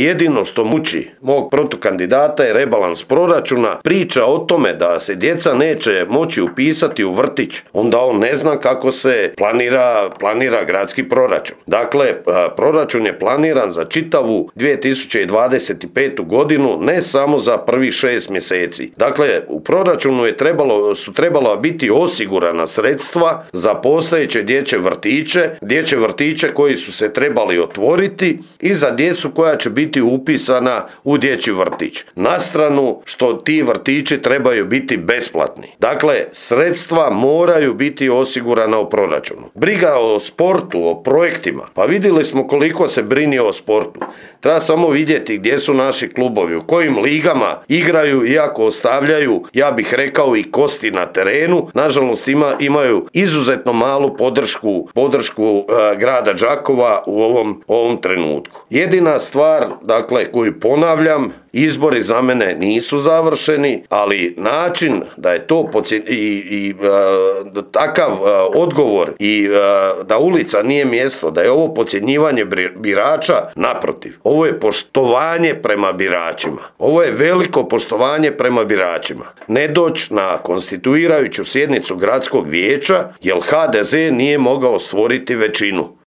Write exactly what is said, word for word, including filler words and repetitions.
Jedino što muči mog protukandidata je rebalans proračuna, priča o tome da se djeca neće moći upisati u vrtić. Onda on ne zna kako se planira, planira gradski proračun. Dakle, proračun je planiran za čitavu dvije tisuće dvadeset petu godinu, ne samo za prvih šest mjeseci. Dakle, u proračunu je trebalo, su trebala biti osigurana sredstva za postojeće dječje vrtiće, dječje vrtiće koji su se trebali otvoriti i za djecu koja će biti upisana u dječji vrtić. Na stranu što ti vrtići trebaju biti besplatni. Dakle, sredstva moraju biti osigurana u proračunu. Briga o sportu, o projektima. Pa vidjeli smo koliko se brini o sportu. Treba samo vidjeti gdje su naši klubovi, u kojim ligama igraju, iako ostavljaju, ja bih rekao, i kosti na terenu. Nažalost, ima, imaju izuzetno malu podršku, podršku e, grada Đakova u ovom, ovom trenutku. Jedina stvar, dakle, koju ponavljam, izbori za mene nisu završeni, ali način da je to podsje... i, i e, takav e, odgovor i e, da ulica nije mjesto, da je ovo podcjenjivanje birača, naprotiv. Ovo je poštovanje prema biračima. Ovo je veliko poštovanje prema biračima. Ne doći na konstituirajuću sjednicu gradskog vijeća, jer ha de ze nije mogao stvoriti većinu.